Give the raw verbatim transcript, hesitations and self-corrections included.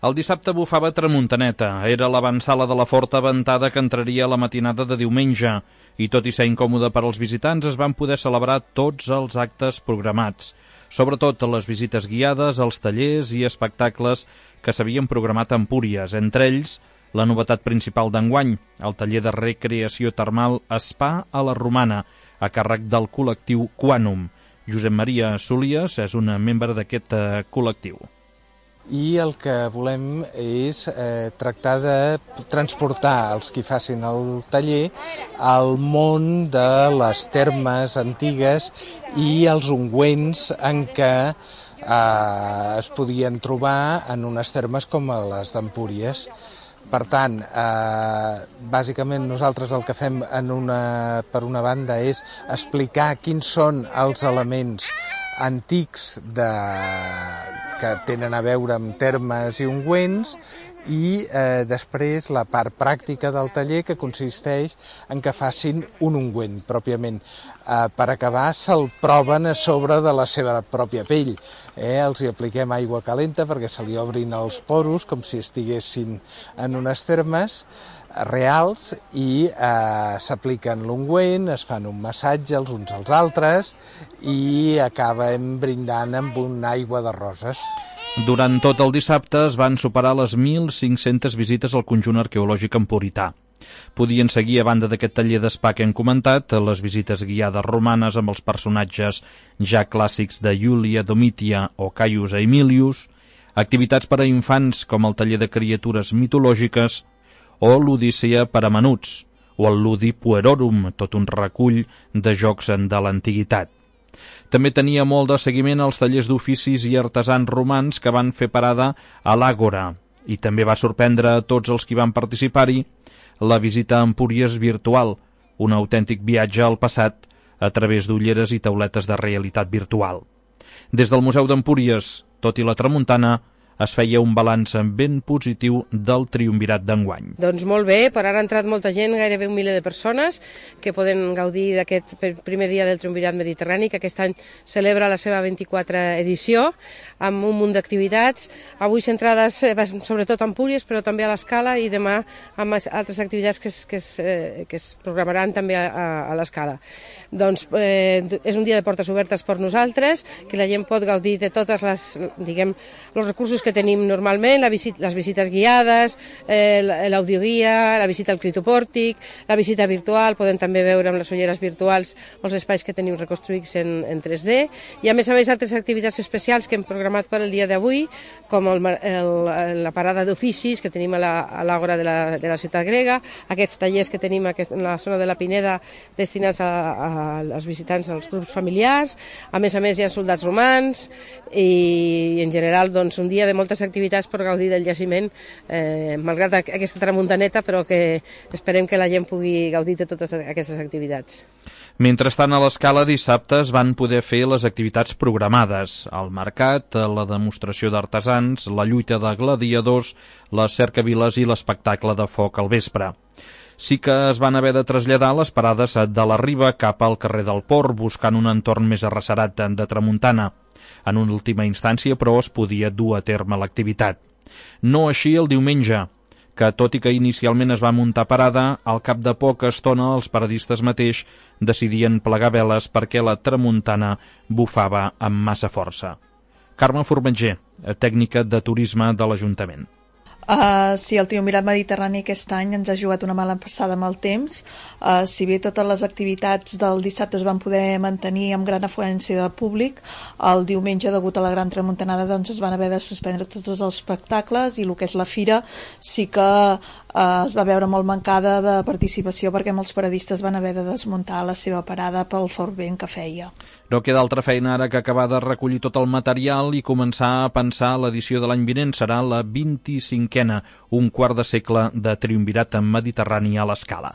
El dissabte bufava tramuntaneta. Era l'avançala de la forta ventada que entraria a la matinada de diumenge i, tot i ser incòmode per als visitants, es van poder celebrar tots els actes programats. Sobretot les visites guiades, els tallers i espectacles que s'havien programat a Empúries. Entre ells, la novetat principal d'enguany, el taller de recreació termal Spa a la Romana, a càrrec del col·lectiu Quanum. Josep Maria Solies és un membre d'aquest eh, col·lectiu. I el que volem és eh, tractar de transportar els qui facin el taller al món de les termes antigues i els ungüents en què eh, es podien trobar en unes termes com les d'Empúries. Per tant, eh, bàsicament nosaltres el que fem en una, per una banda és explicar quins són els elements antics de, que tenen a veure amb termes i ungüents i eh, després la part pràctica del taller que consisteix en que facin un ungüent pròpiament. Eh, per acabar se'l proven a sobre de la seva pròpia pell. Eh, els hi apliquem aigua calenta perquè se li obrin els poros com si estiguessin en unes termes reals i eh, s'apliquen l'ungüent, es fan un massatge els uns als altres i acabem brindant amb una aigua de roses. Durant tot el dissabte es van superar les mil cinc-centes visites al conjunt arqueològic empurità. Podien seguir, a banda d'aquest taller d'espa que hem comentat, les visites guiades romanes amb els personatges ja clàssics de Iulia Domitia o Caius Aemilius, activitats per a infants com el taller de criatures mitològiques o l'Odissea per a menuts, o el Ludi Puerorum, tot un recull de jocs de l'antiguitat. També tenia molt de seguiment als tallers d'oficis i artesans romans que van fer parada a l'Àgora, i també va sorprendre a tots els qui van participar-hi la visita a Empúries virtual, un autèntic viatge al passat a través d'ulleres i tauletes de realitat virtual. Des del Museu d'Empúries, tot i la tramuntana, es feia un balanç ben positiu del triumvirat d'enguany. Doncs molt bé, per ara ha entrat molta gent, gairebé un miler de persones, que poden gaudir d'aquest primer dia del triumvirat mediterrani, que aquest any celebra la seva vint-i-quatrena edició, amb un munt d'activitats, avui centrades sobretot a Empúries, però també a l'Escala, i demà amb altres activitats que es, que es, eh, que es programaran també a, a, a l'Escala. Doncs eh, és un dia de portes obertes per nosaltres, que la gent pot gaudir de totes les, diguem, els recursos que tenim normalment, la visit, les visites guiades, eh, l'audioguia, la visita al critopòrtic, la visita virtual, podem també veure amb les ulleres virtuals els espais que tenim reconstruïts en, en tres D, i a més a més altres activitats especials que hem programat per al dia d'avui, com el, el, la parada d'oficis que tenim a l'Àgora de, la, de la ciutat grega, aquests tallers que tenim aquest, en la zona de la Pineda destinats a, a, als visitants, als grups familiars, a més a més hi ha soldats romans i en general doncs, un dia de moltes activitats per gaudir del jaciment, eh, malgrat aquesta tramuntaneta, però que esperem que la gent pugui gaudir de totes aquestes activitats. Mentrestant, a l'Escala dissabte es van poder fer les activitats programades, el mercat, la demostració d'artesans, la lluita de gladiadors, les cercaviles i l'espectacle de foc al vespre. Sí que es van haver de traslladar les parades de la Riba cap al carrer del Port, buscant un entorn més arrecerat de tramuntana. En una última instància, però, es podia dur a terme l'activitat. No així el diumenge, que tot i que inicialment es va muntar parada, al cap de poca estona els paradistes mateix decidien plegar veles perquè la tramuntana bufava amb massa força. Carme Formatger, tècnica de turisme de l'Ajuntament. Uh, sí, el triumvirat mediterrani aquest any ens ha jugat una mala passada amb el temps. Uh, si bé totes les activitats del dissabte es van poder mantenir amb gran afluència de públic, el diumenge, degut a la gran tramuntanada, doncs es van haver de suspendre tots els espectacles i el que és la fira sí que uh, es va veure molt mancada de participació perquè molts paradistes van haver de desmuntar la seva parada pel fort vent que feia. No queda altra feina ara que acabar de recollir tot el material i començar a pensar l'edició de l'any vinent. Serà la vint-i-cinquena, un quart de segle de triumvirat mediterrani a l'Escala.